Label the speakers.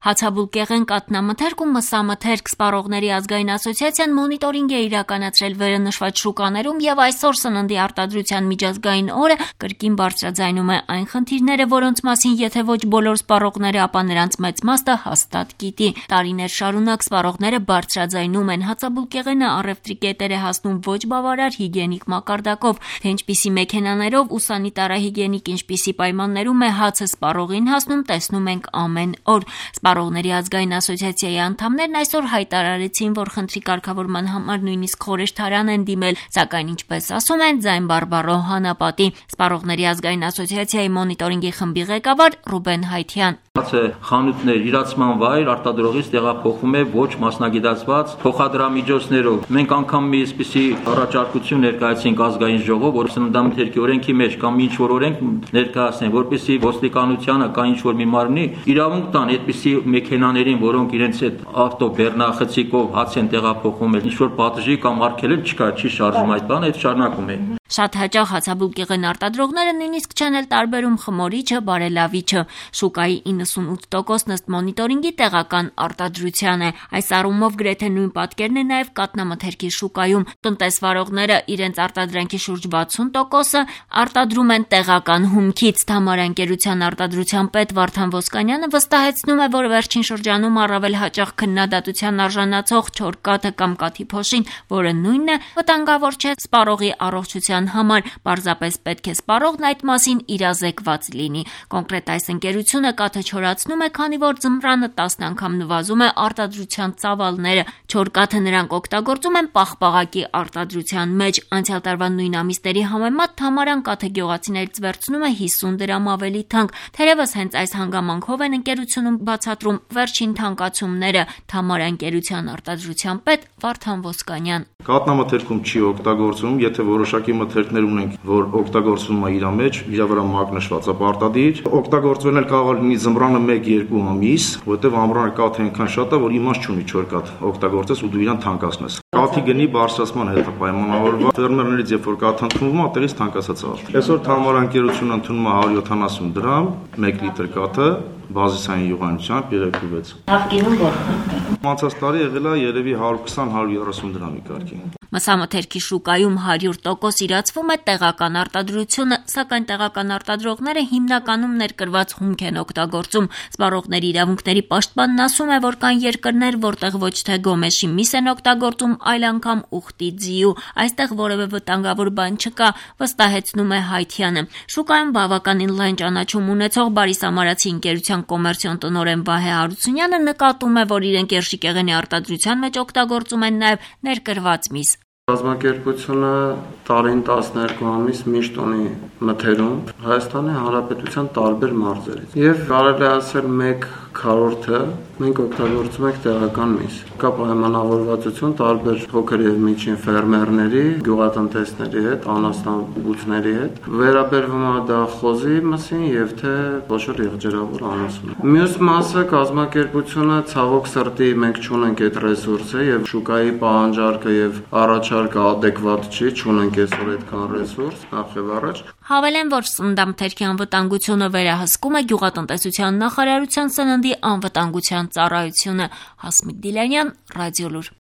Speaker 1: Հացաբուլկեղեն կատնամթերք ու մսամթերք սպառողների ազգային ասոցիացիան մոնիտորինգ է իրականացրել վերանշված շուկաներում եւ այսօր սննդի արտադրության միջազգային օրը կրկին բարձրաձայնում է այն խնդիրները, որոնց մասին եթե ոչ բոլոր սպառողները, ապա նրանց մեծ մասը հաստատ գիտի։ Տարիներ շարունակ սպառողները բարձրաձայնում են հացաբուլկեղենը առևտրի կետեր է հասնում ոչ բավարար հիգիենիկ մակարդակով, թե ինչպիսի մեքենաներով ու սանիտարահիգիենիկ ինչպիսի պայմաններում է հացը սպառողին հասնում, տեսնում ենք ամեն օր։ Սպառողների ազգային ասոցիացիայի անդամներն այսօր հայտարարեցին, որ խնդրի կարգավորման համար նույնիսկ խորհրդարան են դիմել, սակայն ինչպես ասում են, ձայն բարբառո հանապատի։ Սպառողների ազգային ասոցիացիայի մոնիտորինգի խմբի ղեկավար Ռուբեն Հայթյան.
Speaker 2: Հացը խանութներ, իրացման վայր արտադրողից տեղափոխվում է ոչ մասնագիտացված փոխադրամիջոցներով։ Մենք անգամ մի այսպիսի առաջարկություն ներկայացինք ազգային ժողով, որ սննդամթերքի օրենքի մեջ կամ ինչ որ օրենք ներկայացնեն, որպեսզի ոստիկանությանը կամ ինչ որ մի մարմնի իրավունք տան այդպիսի մեքենաներին, որոնք իրենց այդ ավտոբեռնախցիկով հաց են տեղափոխում, ինչ որ պատժի կամ արգելել չկա, չի շարժում այդ բանը, այդ շարունակում է։
Speaker 1: Շատ հաճախ հացաբուլկեղեն արտադրողները նույնիսկ չեն էլ տարբերում խմորիչը, բարելավիչը։ Շուկայի 98%-ն ըստ մոնիտորինգի տեղական արտադրության է։ Այս առումով գրեթե նույն պատկերն է նաև կատնամթերքի շուկայում։ Տնտեսվարողները իրենց արտադրանքի շուրջ 60%-ը արտադրում են տեղական հումքից։ Թամարանկերության արտադրության պետ Վարդան Ոսկանյանը վստահեցնում է, որ վերջին շրջանում առավել հաճախ քննադատության արժանացող չոր կաթը կամ կաթի փոշին, որը նույնն է, վտանգավոր չէ սպառողի առողջության համար, պարզապես պետք է սպառողն այդ մասին իրազեկված լինի։ Կոնկրետ այս ընկերությունը կաթը չորացնում է, քանի որ ձմռանը 10 անգամ նվազում է արտադրության ծավալները։ Չոր կաթը նրանք օգտագործում են պաղպաղակի արտադրության մեջ։ Անցյալ տարվա նույն ամիսների համեմատ թամարան կաթը գյուղացիներից վերցնում է 50 դրամ ավելի թանկ։ Թերևս հենց այս հանգամանքով են ընկերությունում բացատրում վերջին թանկացումները։ Թամարանկերության արտադրության պետ Վարդան Ոսկանյան.
Speaker 3: Կատնամթերքում չի օգտագործում, եթե որոշակի մթերքներ ունենք, որ օգտագործվում է իր մեջ, իր վրա մագնշված է պարտադիր, օգտագործվել էլ կարող է լինի ձմռանը 1-2 ամիս, որտեղ ամռանը կաթը այնքան շատ է, որ իմաստ չունի չոր կաթ օգտագործես ու դու իրան թանկացնես։ Կաթի գնի բարձրացման հետ է պայմանավորված, ֆերմերներից երբ որ կաթ ընդունվում է, տեղից թանկացած է։ Այսօր թամարանկերությունը ընդունում է 170 դրամ 1 լիտր կաթը բազիսային յուղանությամբ 3.6։
Speaker 1: Նախկինում որքան։
Speaker 3: Անցած տարի եղել է երևի 120-130 դրամի կարգի։
Speaker 1: Մսամթերքի շուկայում 100% իրացվում է տեղական արտադրությունը, սակայն տեղական արտադրողները հիմնականում ներկրված հումք են օգտագործում։ Սպառողների իրավունքների պաշտպանն ասում է, որ կան երկրներ, որտեղ ոչ թե գոմեշի միս են օգտագործում, այլ անգամ ուխտի ձիու։ Այստեղ որևէ վտանգավոր բան չկա, վստահեցնում է Հայթյանը։ Շուկայում բավականին լայն ճանաչում ունեցող Բարիսամարացի ընկերության կոմերցիոն տնօրեն Վահե Հարությունյանը նկատում է, որ իրենք երշիկեղենի արտադրության մեջ օգտագործում են նաև ներկրված միս։
Speaker 4: Կազմակերպությունը տարին 12 ամիս միշտ ունի մթերում Հայաստանի Հանրապետության տարբեր մարզերից։ Եվ կարելի ասել 1/4-ը մենք օգտագործում ենք տեղական միս։ Կա պայմանավորվածություն տարբեր փոքր եւ միջին ֆերմերների, գյուղատնտեսների հետ, անասնաբուծների հետ։ Վերաբերվում է դա խոզի մսին եւ թե խոշոր եղջերավոր անասուն։ Մյուս մասը կազմակերպությունը ցավոք սրտի մենք չունենք այդ ռեսուրսը եւ շուկայի պահանջարկը եւ առաջարկը adekvat չի, չունենք այսօր այդքան ռեսուրս, նախ եւ առաջ։
Speaker 1: Հավելեն, որ սննդամթերքի անվտանգությունը վերահսկում է գյուղատնտեսության նախարարության սննդի անվտանգության ծառայությունը։ Հասմիկ Դիլանյան, Ռադիոլուր։